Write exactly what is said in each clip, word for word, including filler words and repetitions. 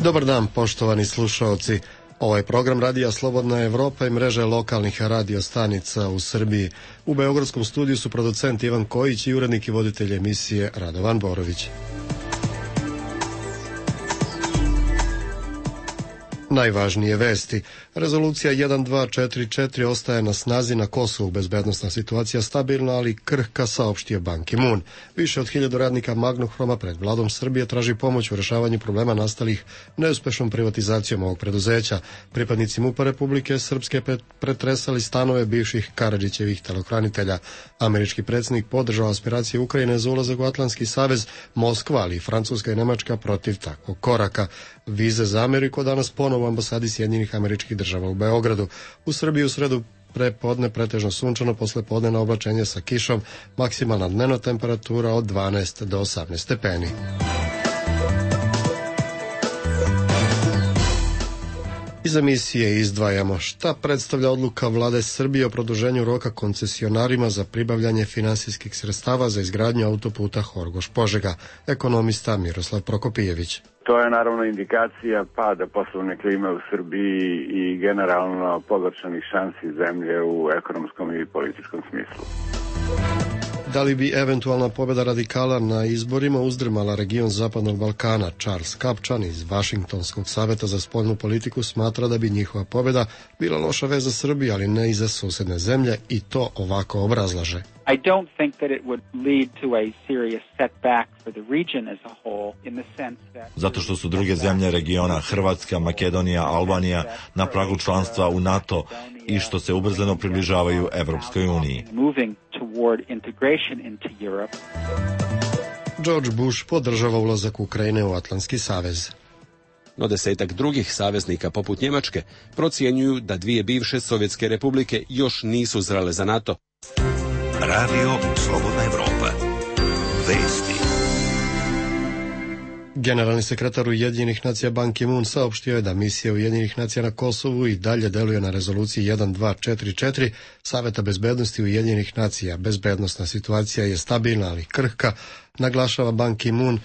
Dobar dan, poštovani slušaoci. Ovaj program Radija Slobodna Evropa i mreže lokalnih radio stanica u Srbiji. U beogradskom studiju su producent Ivan Kojić i urednik i voditelj emisije Radovan Borović. Najvažnije vesti. Rezolucija jedan dva četiri četiri ostaje na snazi na Kosovu. Bezbednosna situacija stabilna, ali krhka, saopštio Ban Ki-moon. Više od hiljadu radnika Magnohroma pred vladom Srbije traži pomoć u rešavanju problema nastalih neuspešnom privatizacijom ovog preduzeća. Pripadnici MUP-a Republike Srpske pretresali stanove bivših Karadžićevih telohranitelja. Američki predsjednik podržao aspiracije Ukrajine za ulazak u Atlantski savez. Moskva, ali i Francuska i Nemačka protiv takvog koraka. Vize za Ameriku danas ponovo u ambasadi Sjedinjenih Američkih Država u Beogradu. U Srbiji u sredu prepodne pretežno sunčano, posle podnevna oblačenje sa kišom, maksimalna dnevna temperatura od dvanaest do osamnaest stepeni. Iz emisije izdvajamo šta predstavlja odluka vlade Srbije o produženju roka koncesionarima za pribavljanje finansijskih sredstava za izgradnju autoputa Horgoš-Požega. Ekonomista Miroslav Prokopijević. To je naravno indikacija pada poslovne klime u Srbiji i generalno pogoršanih šansi zemlje u ekonomskom i političkom smislu. Da li bi eventualna pobjeda radikala na izborima uzdrmala region Zapadnog Balkana? Charles Kapčan iz Vašingtonskog saveta za spoljnu politiku smatra da bi njihova pobjeda bila loša vez za Srbiju, ali ne i za susedne zemlje, i to ovako obrazlaže. I don't think that it would lead to a serious setback for the region as a whole in the sense that Zato što su druge zemlje regiona, Hrvatska, Makedonija, Albanija, na pragu članstva u NATO i što se ubrzano približavaju Evropskoj uniji. George Bush podržava ulazak Ukrajine u Atlantski savez. No desetak drugih saveznika poput Njemačke procjenjuju da dvije bivše sovjetske republike još nisu zrele za NATO. Radio Slobodna Evropa. Vesti. Generalni sekretar Ujedinjenih nacija Ban Ki-moon saopštio je da misija Ujedinjenih nacija na Kosovu i dalje deluje na rezoluciji jedan dva četiri četiri Saveta bezbednosti Ujedinjenih nacija. Bezbednosna situacija je stabilna, ali krhka, naglašava Ban Ki-moon,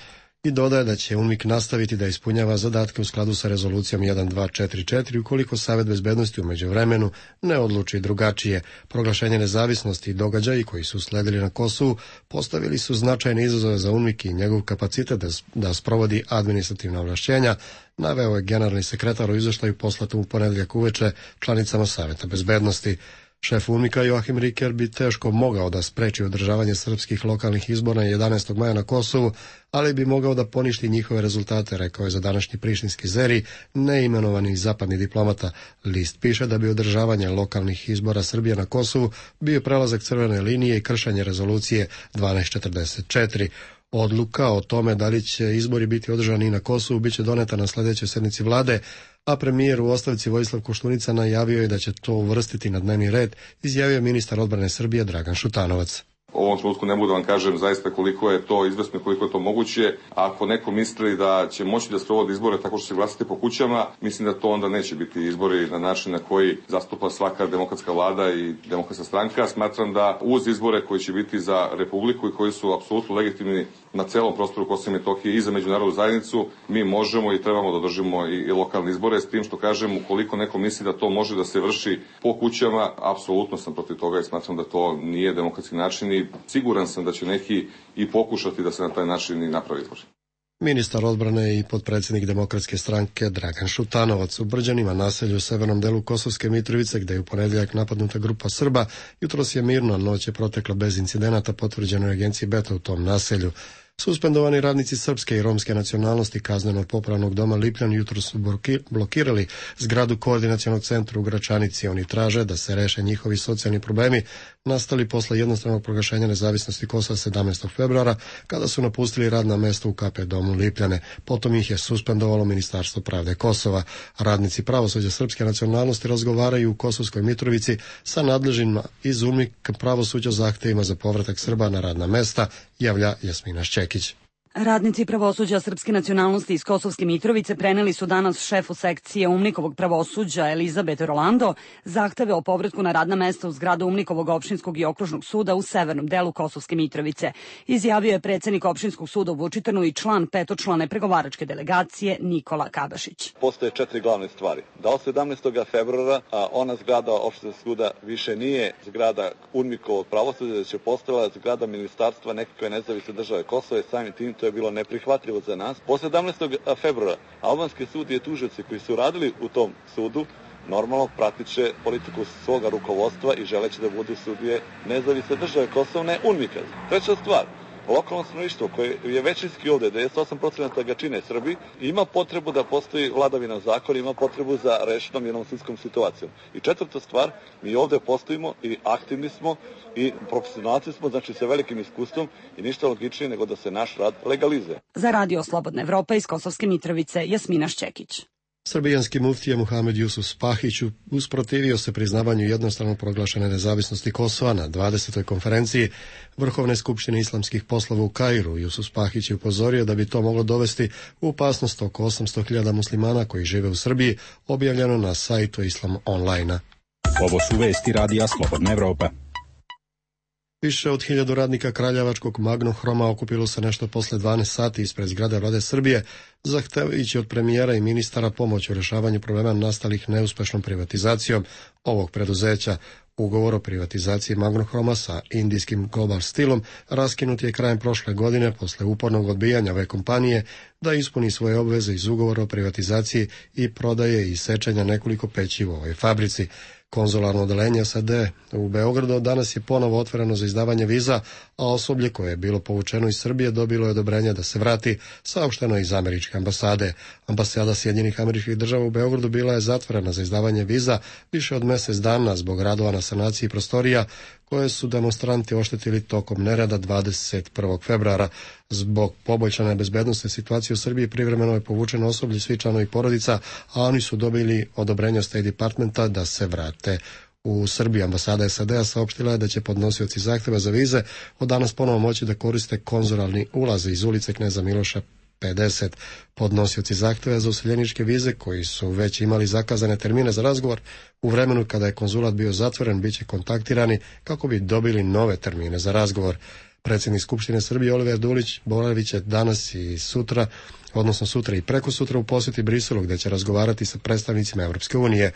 i dodaje da će UNMIK nastaviti da ispunjava zadatke u skladu sa rezolucijom jedan dva četiri četiri ukoliko Savet bezbednosti u međuvremenu ne odluči drugačije. Proglašenje nezavisnosti i događaji koji su sledili na Kosovu postavili su značajne izazove za UNMIK i njegov kapacitet da, da sprovodi administrativna ovlašćenja, naveo je generalni sekretar u izveštaju poslatom u ponedeljak uveče članicama Saveta bezbednosti. Šef UNMIK-a Joachim Riker bi teško mogao da spreči održavanje srpskih lokalnih izbora jedanaestog maja na Kosovu, ali bi mogao da poništi njihove rezultate, rekao je za današnji prištinski zeri neimenovani zapadni diplomata. List piše da bi održavanje lokalnih izbora Srbije na Kosovu bio prelazak crvene linije i kršenje rezolucije dvanaest četrdeset četiri. Odluka o tome da li će izbori biti održani i na Kosovu biće doneta na sljedećoj sednici vlade, a premijer u ostavci Vojislav Koštunica najavio je da će to uvrstiti na dnevni red, izjavio ministar odbrane Srbije Dragan Šutanovac. U ovom trenutku ne mogu da vam kažem zaista koliko je to izvesno i koliko je to moguće. Ako neko misli da će moći da sprovodi izbore tako što će glasati po kućama, mislim da to onda neće biti izbori na način na koji zastupa svaka demokratska vlada i demokratska stranka. Smatram da uz izbore koji će biti za Republiku i koji su apsolutno legitimni na celom prostoru Kosova i Metohije i za međunarodnu zajednicu, mi možemo i trebamo da održimo i, i lokalne izbore, s tim što kažem, ukoliko neko misli da to može da se vrši po kućama, apsolutno sam protiv toga i smatram da to nije demokratski način i siguran sam da će neki i pokušati da se na taj način i napravi izbor. Ministar odbrane i potpredsjednik Demokratske stranke Dragan Šutanovac. U Brđanima, naselju u severnom delu Kosovske Mitrovice, gde je u ponedjeljak napadnuta grupa Srba, jutros je mirno, noć je protekla bez incidenata, potvrđeno je agenciji Beta u tom naselju. Suspendovani radnici srpske i romske nacionalnosti kazneno-popravnog doma Lipljan jutro su blokirali zgradu koordinacionog centra u Gračanici. Oni traže da se reše njihovi socijalni problemi nastali posle jednostranog proglašenja nezavisnosti Kosova sedamnaestog februara, kada su napustili radna mesta u K P domu Lipljane. Potom ih je suspendovalo Ministarstvo pravde Kosova. Radnici pravosuđa srpske nacionalnosti razgovaraju u Kosovskoj Mitrovici sa nadležnima iz UNMIK pravosuđa zahtevima za povratak Srba na radna mesta, javlja Jasmina Šćekić. Radnici pravosuđa srpske nacionalnosti iz Kosovske Mitrovice preneli su danas šefu sekcije Umnikovog pravosuđa Elizabet Rolando zahteve o povratku na radna mesta u zgradu Umnikovog opštinskog i okružnog suda u severnom delu Kosovske Mitrovice. Izjavio je predsednik opštinskog suda u Vučitrnu i član petočlane pregovaračke delegacije Nikola Kabašić. Postoje četiri glavne stvari. Da od sedamnaestog februara a ona zgrada opštinskog suda više nije zgrada Umnikovog pravosuđa, da će postala zgrada ministarstva nekakve nezavisne države Kosova, samim tim to je bilo neprihvatljivo za nas. Po sedamnaestog februara albanski sud i tužioci koji su radili u tom sudu normalno pratit će politiku svoga rukovodstva i želeće da budu sudije nezavisne države Kosova, ne UNMIK-a. Treća stvar, lokalno stanovništvo koje je većinski ovde, devedeset osam posto ga čine Srbi, ima potrebu da postoji vladavina zakona, ima potrebu za rešenom jednom sudskom situacijom. I četvrta stvar, mi ovde postojimo i aktivni smo i profesionalci smo, znači sa velikim iskustvom i ništa logičnije nego da se naš rad legalizuje. Za Radio Slobodna Evropa iz Kosovske Mitrovice, Jasmina Šćekić. Srbijanski muftija Muhamed Jusuf Spahić usprotivio se priznavanju jednostrano proglašene nezavisnosti Kosova na dvadesetoj konferenciji Vrhovne skupštine islamskih poslova u Kairu. Jusuf Spahić je upozorio da bi to moglo dovesti u opasnost oko osamsto hiljada muslimana koji žive u Srbiji, objavljeno na sajtu Islam Online-a. Ovo su vesti Radija Slobodna Evropa. Više od hiljadu radnika Kraljevačkog Magnohroma okupilo se nešto posle dvanaest sati ispred zgrade Vlade Srbije, zahtevajući od premijera i ministara pomoć u rešavanju problema nastalih neuspešnom privatizacijom ovog preduzeća. Ugovor o privatizaciji Magnohroma sa indijskim Global Steelom raskinut je krajem prošle godine posle upornog odbijanja ove kompanije da ispuni svoje obveze iz ugovora o privatizaciji i prodaje i sečenja nekoliko peći u ovoj fabrici. Konzularno odeljenje S A D u Beogradu danas je ponovo otvoreno za izdavanje viza, a osoblje koje je bilo povučeno iz Srbije dobilo je odobrenje da se vrati, saopšteno iz američke ambasade. Ambasada Sjedinjenih Američkih Država u Beogradu bila je zatvorena za izdavanje viza više od mesec dana zbog radova na sanaciji prostorija koje su demonstranti oštetili tokom nereda dvadeset prvog februara. Zbog poboljšane bezbednosne situacije u Srbiji privremeno je povučeno osoblje, svi članovi porodica, a oni su dobili odobrenje od State Departmenta da se vrate u Srbiji. Ambasada S A D-a saopštila je da će podnosioci zahteva za vize od danas ponovo moći da koriste konzularni ulaz iz ulice Kneza Miloša pedeset. Podnosioci zahteva za useljeničke vize koji su već imali zakazane termine za razgovor u vremenu kada je konzulat bio zatvoren biće kontaktirani kako bi dobili nove termine za razgovor. Predsjednik Skupštine Srbije Oliver Dulić boravit će danas i sutra, odnosno sutra i preko sutra u posjeti Briselu gdje će razgovarati sa predstavnicima Evropske unije.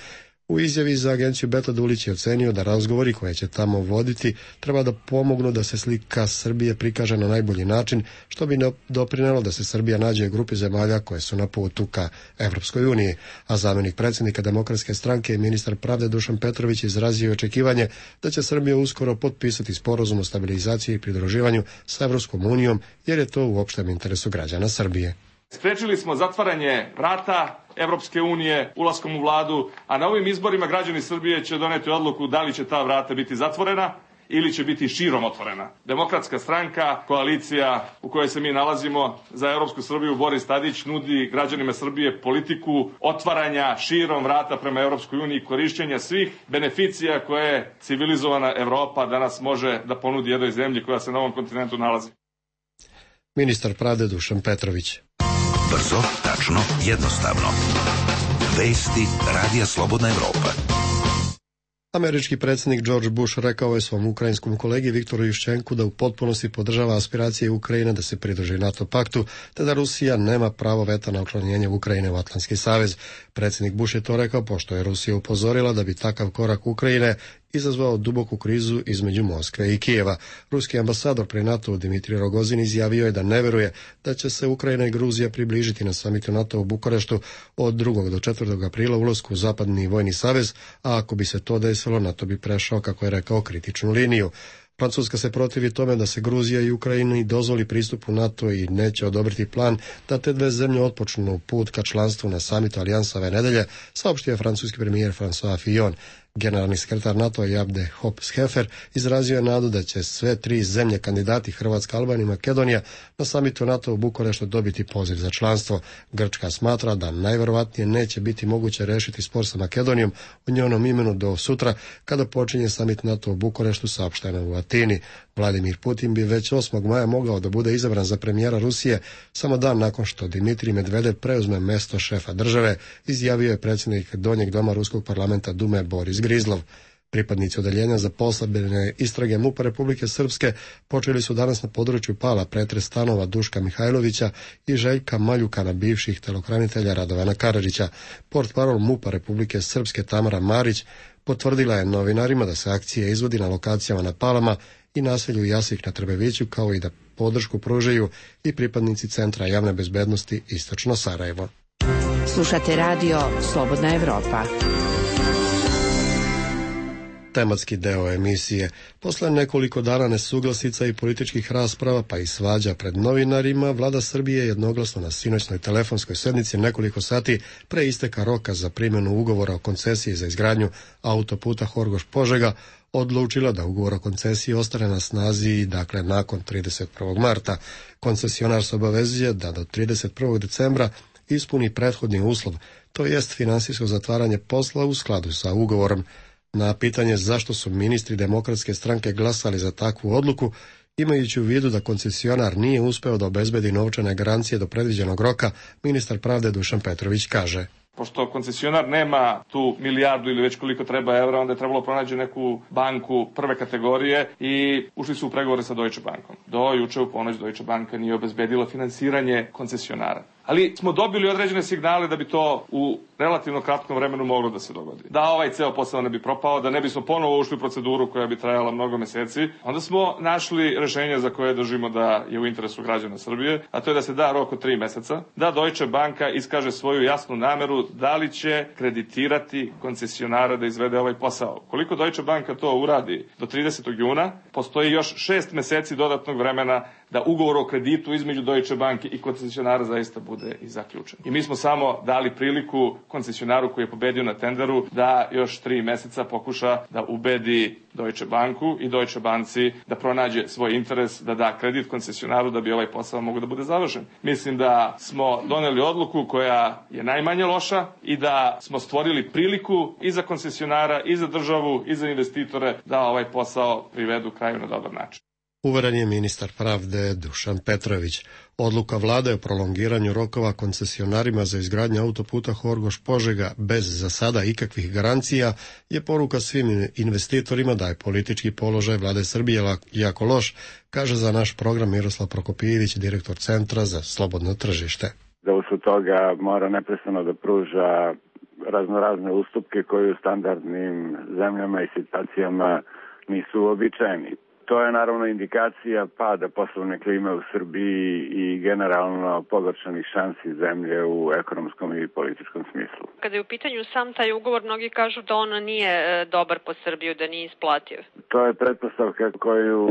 U izjavi za agenciju Beta Dulić je ocenio da razgovori koje će tamo voditi treba da pomognu da se slika Srbije prikaže na najbolji način, što bi doprinelo da se Srbija nađe u grupi zemalja koje su na putu ka Evropskoj uniji. A zamjenik predsjednika Demokratske stranke i ministar pravde Dušan Petrović izrazio je očekivanje da će Srbija uskoro potpisati sporazum o stabilizaciji i pridruživanju sa Evropskom unijom, jer je to u opštem interesu građana Srbije. Sprečili smo zatvaranje vrata Evropske unije ulaskom u vladu, a na ovim izborima građani Srbije će doneti odluku da li će ta vrata biti zatvorena ili će biti širom otvorena. Demokratska stranka, koalicija u kojoj se mi nalazimo za Evropsku Srbiju, Boris Tadić nudi građanima Srbije politiku otvaranja širom vrata prema Evropskoj uniji, korišćenja svih beneficija koje civilizovana Evropa danas može da ponudi jednoj zemlji koja se na ovom kontinentu nalazi. Ministar pravde Dušan Petrović. Brzo, tačno, jednostavno. Vesti Radija Slobodna Evropa. Američki predsjednik George Bush rekao je svom ukrajinskom kolegi Viktoru Juščenku da u potpunosti podržava aspiracije Ukrajine da se pridruži NATO paktu, te da Rusija nema pravo veta na učlanjenje Ukrajine u Atlantski savez. Predsjednik Bush je to rekao pošto je Rusija upozorila da bi takav korak Ukrajine izazvao duboku krizu između Moskve i Kijeva. Ruski ambasador pri NATO Dimitrij Rogozin izjavio je da ne veruje da će se Ukrajina i Gruzija približiti na samitu NATO u Bukureštu od drugog do četvrtog aprila ulasku u zapadni vojni savez, a ako bi se to desilo, NATO bi prešao, kako je rekao, kritičnu liniju. Francuska se protivi tome da se Gruzija i Ukrajini dozvoli pristup u NATO i neće odobriti plan da te dve zemlje otpočnu put ka članstvu na samitu Alijansa ove nedelje, saopštio je francuski premijer François Fillon. Generalni sekretar NATO Jabde Hopp-Scheffer izrazio je nadu da će sve tri zemlje kandidati Hrvatska, Albanija i Makedonija na samitu NATO u Bukureštu dobiti poziv za članstvo. Grčka smatra da najverovatnije neće biti moguće rešiti spor sa Makedonijom u njenom imenu do sutra kada počinje samit NATO u Bukureštu, saopšteno u Atini. Vladimir Putin bi već osmog maja mogao da bude izabran za premijera Rusije samo dan nakon što Dimitrij Medvedev preuzme mesto šefa države, izjavio je predsjednik Donjeg doma Ruskog parlamenta Dume Boris Grizlov. Pripadnici odeljenja za poslabljene istrage MUP-a Republike Srpske počeli su danas na području Pala pretres stanova Duška Mihajlovića i Željka Maljukana, bivših telohranitelja Radovana Karadžića. Portparol MUP-a Republike Srpske Tamara Marić potvrdila je novinarima da se akcija izvodi na lokacijama na Palama i naselju Jasik na Trbeviću, kao i da podršku pružaju i pripadnici Centra javne bezbednosti Istočno Sarajevo. Slušate radio Slobodna Evropa. Tematski deo emisije. Posle nekoliko dana nesuglasica i političkih rasprava pa i svađa pred novinarima, Vlada Srbije jednoglasno na sinoćnoj telefonskoj sednici nekoliko sati pre isteka roka za primjenu ugovora o koncesiji za izgradnju autoputa Horgoš-Požega odlučila da ugovor o koncesiji ostane na snazi, dakle nakon trideset prvog marta. Koncesionar se obavezuje da do trideset prvog decembra ispuni prethodni uslov, to jest finansijsko zatvaranje posla u skladu sa ugovorom. Na pitanje zašto su ministri Demokratske stranke glasali za takvu odluku, imajući u vidu da koncesionar nije uspeo da obezbedi novčane garancije do predviđenog roka, ministar pravde Dušan Petrović kaže: Pošto koncesionar nema tu milijardu ili već koliko treba evra, onda je trebalo pronaći neku banku prve kategorije i ušli su u pregovore sa Deutsche Bankom. Do juče u ponoć Deutsche Banka nije obezbedila finansiranje koncesionara. Ali smo dobili određene signale da bi to u relativno kratkom vremenu moglo da se dogodi. Da ovaj ceo posao ne bi propao, da ne bismo ponovo ušli u proceduru koja bi trajala mnogo meseci, onda smo našli rešenje za koje držimo da je u interesu građana Srbije, a to je da se da rok od tri meseca, da Deutsche Banka iskaže svoju jasnu nameru da li će kreditirati koncesionara da izvede ovaj posao. Koliko Deutsche Banka to uradi do tridesetog juna, postoji još šest meseci dodatnog vremena da ugovor o kreditu između Deutsche Banke i koncesionara zaista bude i zaključen. I mi smo samo dali priliku koncesionaru koji je pobedio na tenderu da još tri meseca pokuša da ubedi Deutsche Banku i Deutsche Banci da pronađe svoj interes, da da kredit koncesionaru da bi ovaj posao mogao da bude završen. Mislim da smo doneli odluku koja je najmanje loša i da smo stvorili priliku i za koncesionara, i za državu, i za investitore da ovaj posao privedu kraju na dobar način. Uveren je ministar pravde Dušan Petrović. Odluka vlade o prolongiranju rokova koncesionarima za izgradnju autoputa Horgoš-Požega bez za sada ikakvih garancija je poruka svim investitorima da je politički položaj vlade Srbije jako loš, kaže za naš program Miroslav Prokopijević, direktor Centra za slobodno tržište. Da usled toga mora neprestano da pruža raznorazne ustupke koji u standardnim zemljama i situacijama nisu uobičajeni. To je naravno indikacija pada poslovne klime u Srbiji i generalno pogoršanih šansi zemlje u ekonomskom i političkom smislu. Kada je u pitanju sam taj ugovor, mnogi kažu da on nije dobar po Srbiju, da nije isplativ. To je pretpostavka koju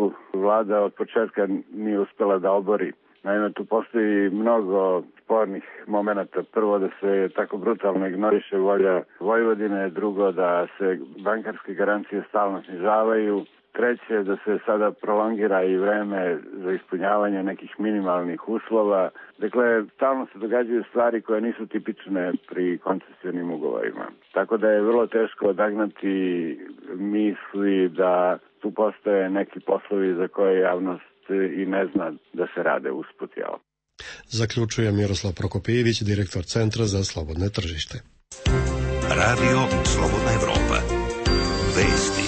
vlada od početka nije uspela da obori. Naime, tu postoji mnogo spornih momenata. Prvo, da se tako brutalno ignoriše volja Vojvodine, drugo, da se bankarske garancije stalno snižavaju, treće, da se sada prolongira i vreme za ispunjavanje nekih minimalnih uslova. Dakle, stalno se događaju stvari koje nisu tipične pri koncesionim ugovorima. Tako da je vrlo teško odagnati misli da tu postoje neki poslovi za koje javnost i ne zna da se rade usput, jel? Zaključuje Miroslav Prokopijević, direktor Centra za slobodne tržište. Radio Slobodna Evropa. Vesti.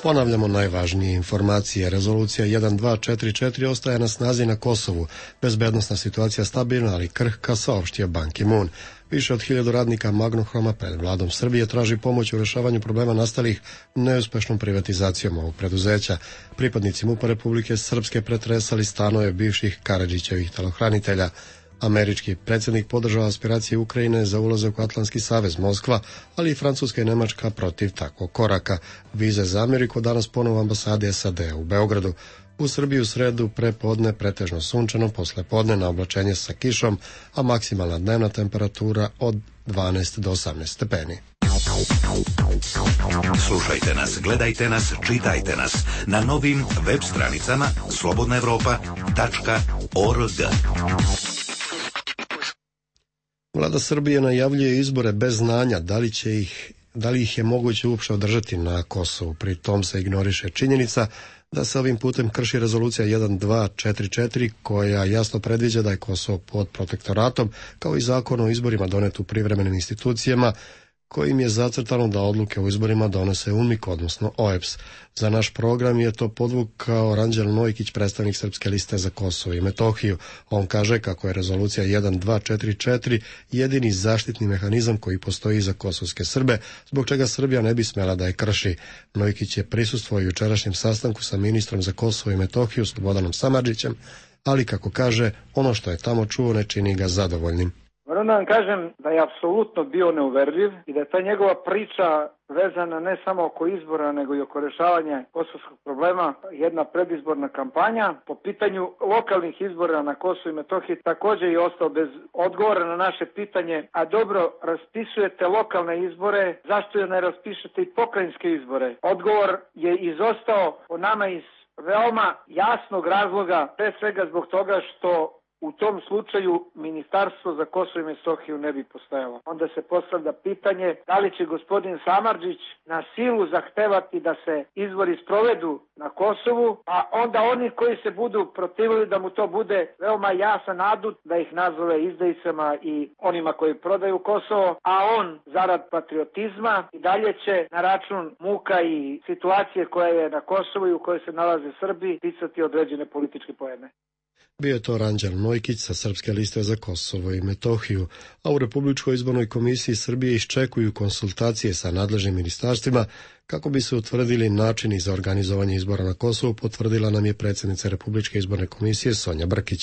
Ponavljamo najvažnije informacije. Rezolucija jedan dva četiri četiri ostaje na snazi na Kosovu. Bezbednosna situacija stabilna, ali krhka, saopštio Ban Ki-moon. Više od hiljadu radnika Magnohroma pred vladom Srbije traži pomoć u rešavanju problema nastalih neuspešnom privatizacijom ovog preduzeća. Pripadnici MUP-a Republike Srpske pretresali stanove bivših Karadžićevih telohranitelja. Američki predsjednik podržava aspiracije Ukrajine za ulazak u Atlantski savez Moskva, ali i Francuska i Nemačka protiv takvog koraka. Vize za Ameriku danas ponovo ambasade S A D u Beogradu. U Srbiji u sredu prepodne pretežno sunčano, posle podne na oblačenje sa kišom, a maksimalna dnevna temperatura od dvanaest do osamnaest stepeni. Slušajte nas, gledajte nas, čitajte nas na novim web stranicama slobodna evropa tačka org. Vlada Srbije najavljuje izbore bez znanja da li će ih da li ih je moguće uopšte održati na Kosovu. Pri tom se ignoriše činjenica da se ovim putem krši rezolucija jedan dva četiri četiri koja jasno predviđa da je Kosovo pod protektoratom, kao i zakon o izborima donet u privremenim institucijama kojim je zacrtano da odluke o izborima donose U N M I K, odnosno O E B S. Za naš program je to podvukao Ranđel Nojkić, predstavnik Srpske liste za Kosovo i Metohiju. On kaže kako je rezolucija jedan dva četiri četiri jedini zaštitni mehanizam koji postoji za kosovske Srbe, zbog čega Srbija ne bi smela da je krši. Nojkić je prisustvovao jučerašnjem sastanku sa ministrom za Kosovo i Metohiju Slobodanom Samardžićem, ali kako kaže, ono što je tamo čuo ne čini ga zadovoljnim. Moram da vam kažem da je apsolutno bio neuverljiv i da je ta njegova priča vezana ne samo oko izbora, nego i oko rešavanja kosovskog problema, jedna predizborna kampanja. Po pitanju lokalnih izbora na Kosovu i Metohiji također je ostao bez odgovora na naše pitanje, a dobro, raspisujete lokalne izbore, zašto je ne raspišete i pokrajinske izbore? Odgovor je izostao po nama iz veoma jasnog razloga, pre svega zbog toga što u tom slučaju Ministarstvo za Kosovo i Metohiju ne bi postojalo. Onda se postavlja pitanje da li će gospodin Samardžić na silu zahtevati da se izbori sprovedu na Kosovu, a onda oni koji se budu protivili da mu to bude veoma jasan adut da ih nazove izdajicama i onima koji prodaju Kosovo, a on zarad patriotizma i dalje će na račun muka i situacije koja je na Kosovu i u kojoj se nalaze Srbi ticati određene političke poene. Bio je to Ranđel Nojkić sa Srpske liste za Kosovo i Metohiju, a u Republičkoj izbornoj komisiji Srbije iščekuju konsultacije sa nadležnim ministarstvima kako bi se utvrdili načini za organizovanje izbora na Kosovu, potvrdila nam je predsjednica Republičke izborne komisije Sonja Brkić.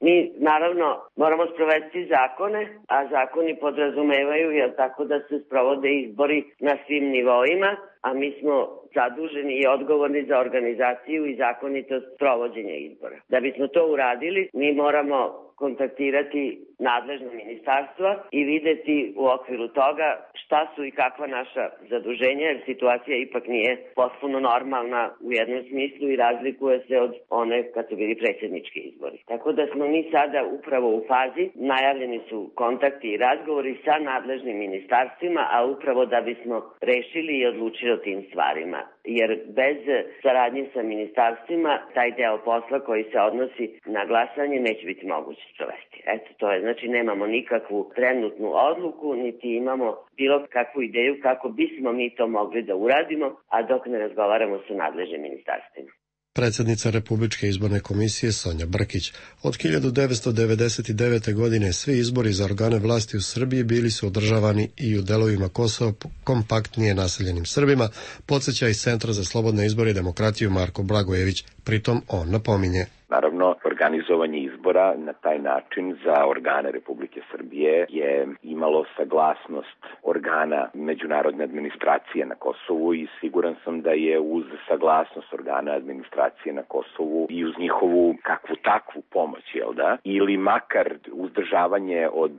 Mi, naravno, moramo sprovesti zakone, a zakoni podrazumevaju, jel tako, da se sprovode izbori na svim nivoima, a mi smo zaduženi i odgovorni za organizaciju i zakonitost sprovođenja izbora. Da bismo to uradili, mi moramo kontaktirati nadležno ministarstva i videti u okviru toga šta su i kakva naša zaduženja, jer situacija ipak nije potpuno normalna u jednom smislu i razlikuje se od one kad su bili predsjednički izbori. Tako da smo mi sada upravo u fazi, najavljeni su kontakti i razgovori sa nadležnim ministarstvima, a upravo da bismo rešili i odlučili o tim stvarima. Jer bez saradnje sa ministarstvima taj deo posla koji se odnosi na glasanje neće biti moguće sprovesti. Eto, to je, znači nemamo nikakvu trenutnu odluku, niti imamo bilo kakvu ideju kako bismo mi to mogli da uradimo, a dok ne razgovaramo sa nadležnim ministarstvima. Predsjednica Republičke izborne komisije Sonja Brkić. Od hiljadu devetsto devedeset devete. godine svi izbori za organe vlasti u Srbiji bili su održavani i u delovima Kosova kompaktnije naseljenim Srbima, podsjeća iz Centra za slobodne izbore i demokratiju Marko Blagojević. Pritom on napominje. Naravno, organizovanje izbora na taj način za organe Republike Srbije je imalo saglasnost organa međunarodne administracije na Kosovu i siguran sam da je uz saglasnost organa administracije na Kosovu i uz njihovu kakvu takvu pomoć, jel da, ili makar uzdržavanje od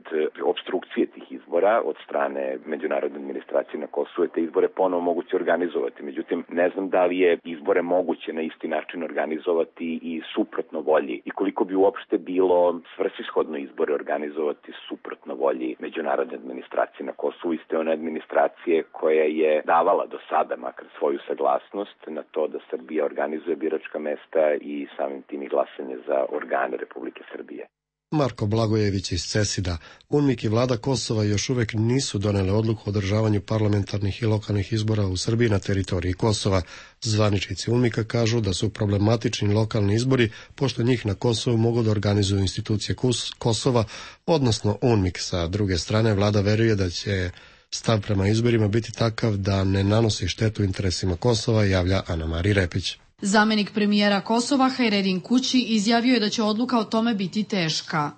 obstrukcije tih izbora od strane međunarodne administracije na Kosovu, te izbore ponovo moguće organizovati. Međutim, ne znam da li je izbore moguće na isti način organizovati i suprotno volji i koliko bi uopšte bilo svrsishodno izbore organizovati suprotno volji međunarodne administracije na Kosovu, iste one administracije koja je davala do sada makar svoju saglasnost na to da Srbija organizuje biračka mesta i samim tim i glasanje za organe Republike Srbije. Marko Blagojević iz CESID-a. U N M I K i vlada Kosova još uvek nisu donele odluku o održavanju parlamentarnih i lokalnih izbora u Srbiji na teritoriji Kosova. Zvaničnici U N M I K-a kažu da su problematični lokalni izbori, pošto njih na Kosovu mogu da organizuju institucije Kosova, odnosno U N M I K. Sa druge strane, vlada veruje da će stav prema izborima biti takav da ne nanosi štetu interesima Kosova, javlja Ana Marija Repić. Zamenik premijera Kosova Hajredin Kući izjavio je da će odluka o tome biti teška.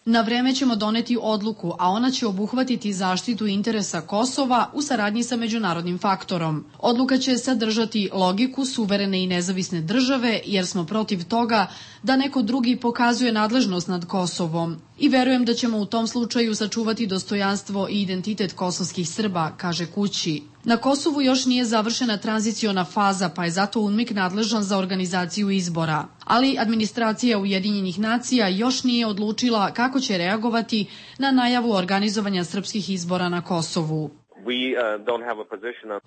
Na vreme ćemo doneti odluku, a ona će obuhvatiti zaštitu interesa Kosova u saradnji sa međunarodnim faktorom. Odluka će sadržati logiku suverene i nezavisne države, jer smo protiv toga da neko drugi pokazuje nadležnost nad Kosovom. I verujem da ćemo u tom slučaju sačuvati dostojanstvo i identitet kosovskih Srba, kaže Kući. Na Kosovu još nije završena tranziciona faza, pa je zato UNMIK nadležan za organizaciju izbora. Ali administracija Ujedinjenih nacija još nije odlučila kako će reagovati na najavu organizovanja srpskih izbora na Kosovu.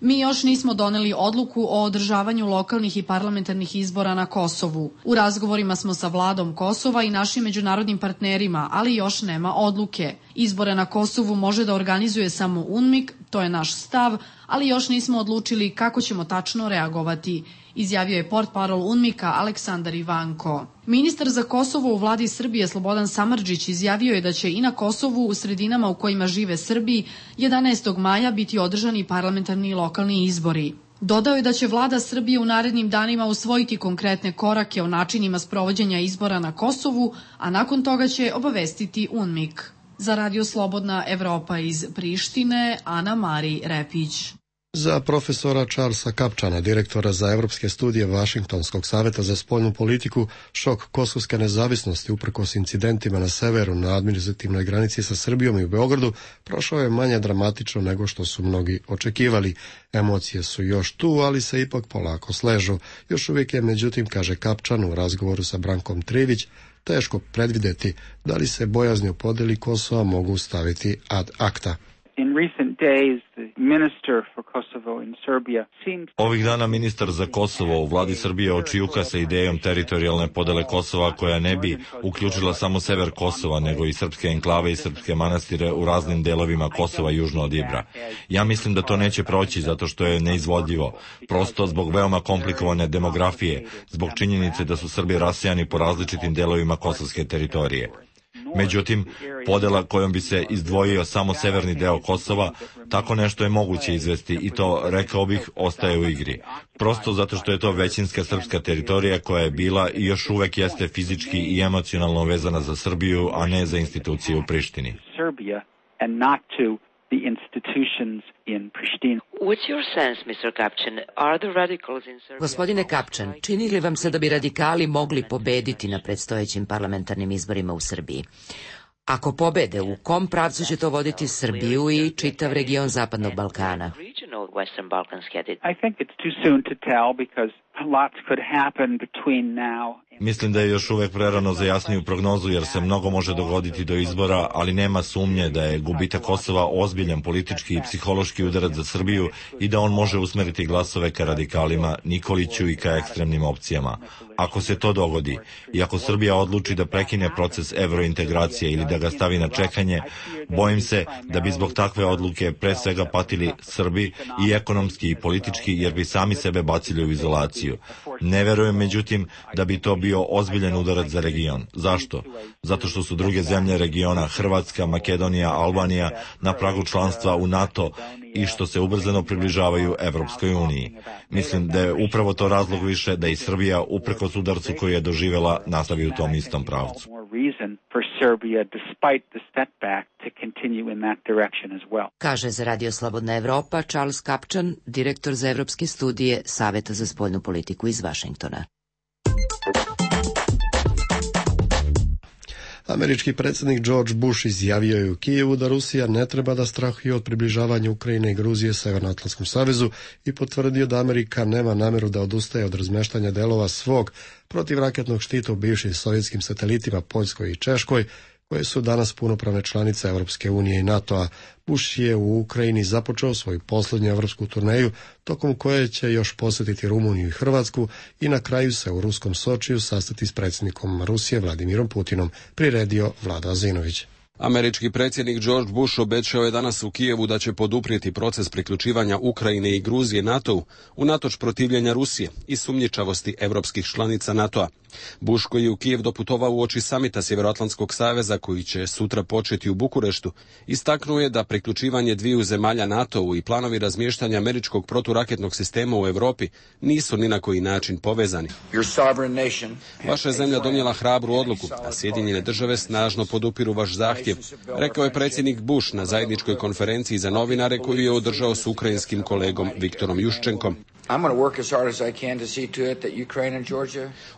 Mi još nismo doneli odluku o održavanju lokalnih i parlamentarnih izbora na Kosovu. U razgovorima smo sa vladom Kosova i našim međunarodnim partnerima, ali još nema odluke. Izbore na Kosovu može da organizuje samo UNMIK, to je naš stav, ali još nismo odlučili kako ćemo tačno reagovati, izjavio je portparol UNMIK-a Aleksandar Ivanko. Ministar za Kosovo u vladi Srbije Slobodan Samardžić izjavio je da će i na Kosovu u sredinama u kojima žive Srbi jedanaestog maja biti održani parlamentarni i lokalni izbori. Dodao je da će vlada Srbije u narednim danima usvojiti konkretne korake o načinima sprovođenja izbora na Kosovu, a nakon toga će obavestiti UNMIK. Za Radio Slobodna Evropa iz Prištine, Ana Mari Repić. Za profesora Charlesa Kapčana, direktora za evropske studije Vašingtonskog saveta za spoljnu politiku, šok kosovske nezavisnosti uprkos incidentima na severu na administrativnoj granici sa Srbijom i u Beogradu prošao je manje dramatično nego što su mnogi očekivali. Emocije su još tu, ali se ipak polako sležu. Još uvijek je, međutim, kaže Kapčan u razgovoru sa Brankom Trivić, teško predvideti da li se bojazni o podeli Kosova mogu staviti ad acta. In recent days, the minister for Kosovo in Serbia seemed... Ovih dana ministar za Kosovo u vladi Srbije očijuka sa idejom teritorijalne podele Kosova koja ne bi uključila samo sever Kosova, nego i srpske enklave i srpske manastire u raznim delovima Kosova južno od Ibra. Ja mislim da to neće proći zato što je neizvodljivo, prosto zbog veoma komplikovane demografije, zbog činjenice da su Srbi rasejani po različitim delovima kosovske teritorije. Međutim, podela kojom bi se izdvojio samo severni deo Kosova, tako nešto je moguće izvesti i to, rekao bih, ostaje u igri. Prosto zato što je to većinska srpska teritorija koja je bila i još uvek jeste fizički i emocionalno vezana za Srbiju, a ne za institucije u Prištini. The institutions in Pristina. What's your sense, mister Kapčan? Are the radicals in Serbia... Gospodine Kapčan, čini li vam se da bi radikali mogli pobediti na predstojećim parlamentarnim izborima u Srbiji? Ako pobede, u kom pravcu će to voditi Srbiju i čitav region Zapadnog Balkana? I think it's too soon to tell because lots could happen between now. Mislim da je još uvek prerano za jasniju prognozu jer se mnogo može dogoditi do izbora, ali nema sumnje da je gubitak Kosova ozbiljan politički i psihološki udarac za Srbiju i da on može usmeriti glasove ka radikalima, Nikoliću i ka ekstremnim opcijama. Ako se to dogodi i ako Srbija odluči da prekine proces evrointegracije ili da ga stavi na čekanje, bojim se da bi zbog takve odluke pre svega patili Srbi i ekonomski i politički jer bi sami sebe bacili u izolaciju. Ne verujem međutim da bi to bio ozbiljan udarac za region. Zašto? Zato što su druge zemlje regiona, Hrvatska, Makedonija, Albanija, na pragu članstva u NATO i što se ubrzano približavaju Evropskoj uniji. Mislim da je upravo to razlog više da i Srbija, uprkos udarcu koji je doživela, nastavi u tom istom pravcu. Kaže za Radio Slobodna Evropa Charles Kapčan, direktor za evropske studije Saveta za spoljnu politiku iz Vašingtona. Američki predsjednik George Bush izjavio je u Kijevu da Rusija ne treba da strahuje od približavanja Ukrajine i Gruzije Severnoatlantskom savezu i potvrdio da Amerika nema nameru da odustaje od razmeštanja delova svog protivraketnog štita u bivšim sovjetskim satelitima Poljskoj i Češkoj, koje su danas punopravne članice Evropske unije i NATO-a. Bush je u Ukrajini započeo svoju posljednju evropsku turneju, tokom koje će još posjetiti Rumuniju i Hrvatsku i na kraju se u ruskom Sočiju sastati s predsjednikom Rusije Vladimirom Putinom, priredio Vlada Azinović. Američki predsjednik George Bush obećao je danas u Kijevu da će poduprijeti proces priključivanja Ukrajine i Gruzije NATO-u unatoč protivljenja Rusije i sumnjičavosti evropskih članica NATO-a. Bush, koji je u Kijev doputovao uoči samita Sjevernoatlantskog saveza koji će sutra početi u Bukureštu, istaknuo je da priključivanje dviju zemalja NATO-u i planovi razmještanja američkog proturaketnog sistema u Europi nisu ni na koji način povezani. Vaša je zemlja donijela hrabru odluku, a Sjedinjene države snažno podupiru vaš zahtjev, rekao je predsjednik Bush na zajedničkoj konferenciji za novinare koju je održao s ukrajinskim kolegom Viktorom Juščenkom.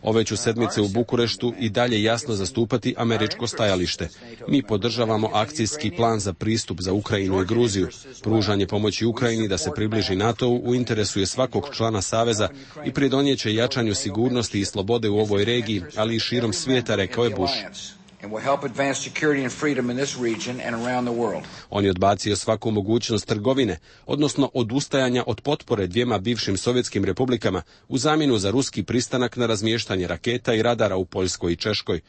Ove ću sedmice u Bukureštu i dalje jasno zastupati američko stajalište. Mi podržavamo akcijski plan za pristup za Ukrajinu i Gruziju. Pružanje pomoći Ukrajini da se približi NATO-u u interesu je svakog člana saveza i pridonijeće jačanju sigurnosti i slobode u ovoj regiji, ali i širom svijeta, rekao je Bush. On je odbacio svaku mogućnost trgovine, odnosno odustajanja od potpore dvijema bivšim sovjetskim republikama u zamjenu za ruski pristanak na razmještanje raketa i radara u Poljskoj i Češkoj.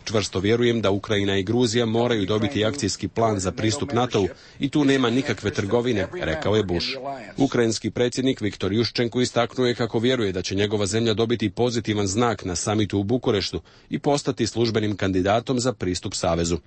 Čvrsto vjerujem da Ukrajina i Gruzija moraju dobiti akcijski plan za pristup NATO-u i tu nema nikakve trgovine, rekao je Bush. Ukrajinski predsjednik Viktor Juščenko istaknuo je kako vjeruje da će njegova zemlja dobiti pozitivan znak na samitu u Bukureštu i postati službenim kandidatom za pristup savezu.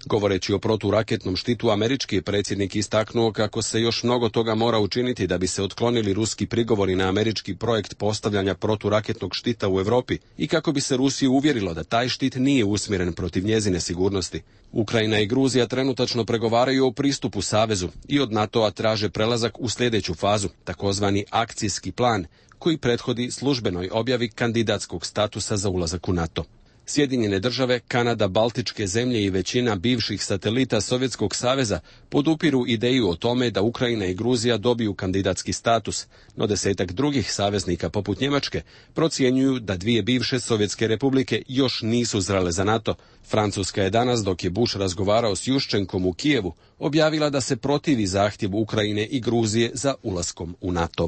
Govoreći o proturaketnom štitu, američki predsjednik istaknuo kako se još mnogo toga mora učiniti da bi se otklonili ruski prigovori na američki projekt postavljanja proturaketnog štita u Europi i kako bi se Rusiju uvjerilo da taj štit nije usmjeren protiv njezine sigurnosti. Ukrajina i Gruzija trenutačno pregovaraju o pristupu savezu i od NATO-a traže prelazak u sljedeću fazu, takozvani akcijski plan, koji prethodi službenoj objavi kandidatskog statusa za ulazak u NATO. Sjedinjene države, Kanada, Baltičke zemlje i većina bivših satelita Sovjetskog saveza podupiru ideju o tome da Ukrajina i Gruzija dobiju kandidatski status, no desetak drugih saveznika poput Njemačke procjenjuju da dvije bivše sovjetske republike još nisu zrele za NATO. Francuska je danas, dok je Bush razgovarao s Juščenkom u Kijevu, objavila da se protivi zahtjevu Ukrajine i Gruzije za ulaskom u NATO.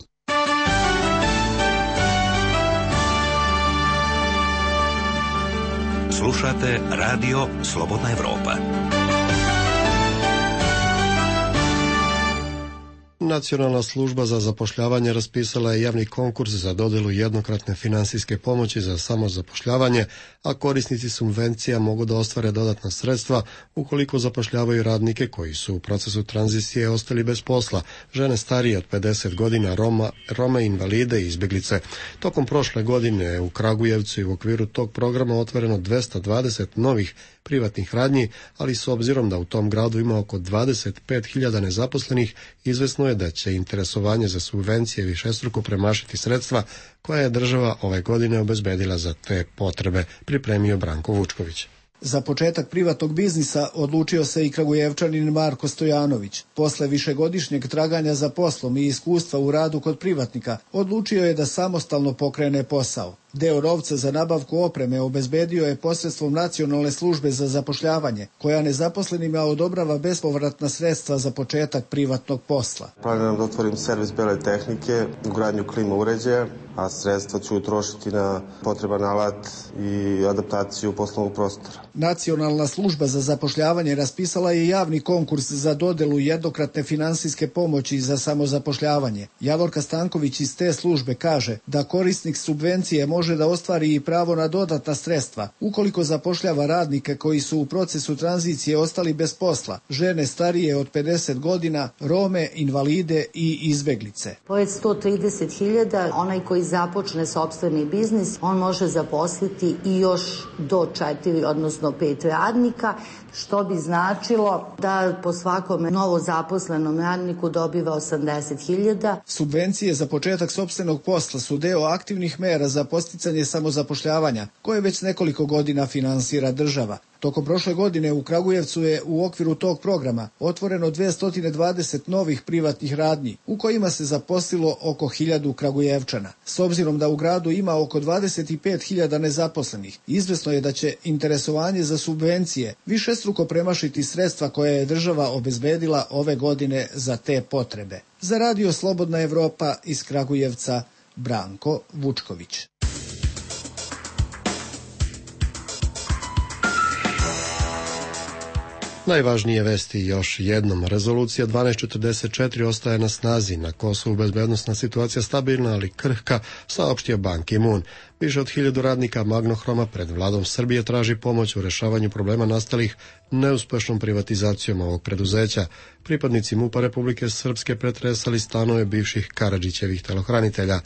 Slušate radio Slobodna Evropa. Nacionalna služba za zapošljavanje raspisala je javni konkurs za dodjelu jednokratne finansijske pomoći za samozapošljavanje, a korisnici subvencija mogu da ostvare dodatna sredstva ukoliko zapošljavaju radnike koji su u procesu tranzicije ostali bez posla, žene starije od pedeset godina, Roma, Rome, invalide i izbjeglice. Tokom prošle godine u Kragujevcu i u okviru tog programa otvoreno dvesta dvadeset novih privatnih radnji, ali s obzirom da u tom gradu ima oko dvadeset pet hiljada nezaposlenih, izvesno je da će interesovanje za subvencije višestruko premašiti sredstva koja je država ove godine obezbedila za te potrebe, pripremio Branko Vučković. Za početak privatnog biznisa odlučio se i Kragujevčanin Marko Stojanović. Posle višegodišnjeg traganja za poslom i iskustva u radu kod privatnika, odlučio je da samostalno pokrene posao. Deo novca za nabavku opreme obezbedio je posredstvom Nacionalne službe za zapošljavanje, koja nezaposlenima odobrava bespovratna sredstva za početak privatnog posla. Planiram da otvorim servis bele tehnike, ugradnju klima uređaja, a sredstva ću utrošiti na potreban alat i adaptaciju poslovnog prostora. Nacionalna služba za zapošljavanje raspisala je javni konkurs za dodelu jednokratne finansijske pomoći za samozapošljavanje. Javorka Stanković iz te službe kaže da korisnik subvencije može može da ostvari i pravo na dodatna sredstva ukoliko zapošljava radnike koji su u procesu tranzicije ostali bez posla, žene starije od pedeset godina, Rome, invalide i izbeglice. Pored sto trideset hiljada, onaj koji započne sopstveni biznis, on može zaposliti i još do četiri, odnosno pet radnika, što bi značilo da po svakom novo zaposlenom radniku dobiva osamdeset hiljada. Subvencije za početak sopstvenog posla su deo aktivnih mera za posticanje samozapošljavanja, koje već nekoliko godina finansira država. Tokom prošle godine u Kragujevcu je u okviru tog programa otvoreno dvesta dvadeset novih privatnih radnji, u kojima se zaposlilo oko hiljadu Kragujevčana. S obzirom da u gradu ima oko dvadeset pet hiljada nezaposlenih, izvesno je da će interesovanje za subvencije višestruko premašiti sredstva koje je država obezbedila ove godine za te potrebe. Za radio Slobodna Evropa iz Kragujevca, Branko Vučković. Najvažnije vesti još jednom. Rezolucija dvanaest četrdeset četiri ostaje na snazi. Na Kosovu bezbednosna situacija stabilna, ali krhka, saopštio Ban Ki-moon. Više od hiljadu radnika Magnohroma pred vladom Srbije traži pomoć u rešavanju problema nastalih neuspešnom privatizacijom ovog preduzeća. Pripadnici MUP-a Republike Srpske pretresali stanove bivših Karadžićevih telohranitelja.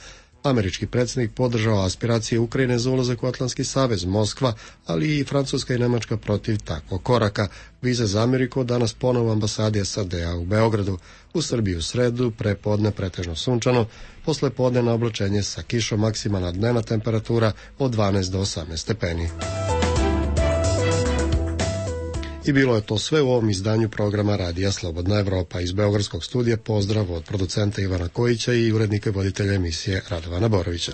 Američki predsjednik podržao aspiracije Ukrajine za ulazak u Atlantski savez, Moskva, ali i Francuska i Nemačka protiv takvog koraka. Vize za Ameriku danas ponovo ambasadi S A D-a u Beogradu. U Srbiji u sredu, prepodne pretežno sunčano, posle podne na oblačenje sa kišom, maksimalna dnevna temperatura od dvanaest do osamnaest stepeni. I bilo je to sve u ovom izdanju programa Radija Slobodna Evropa. Iz Beogradskog studija pozdrav od producenta Ivana Kojića i urednika i voditelja emisije Radovana Borovića.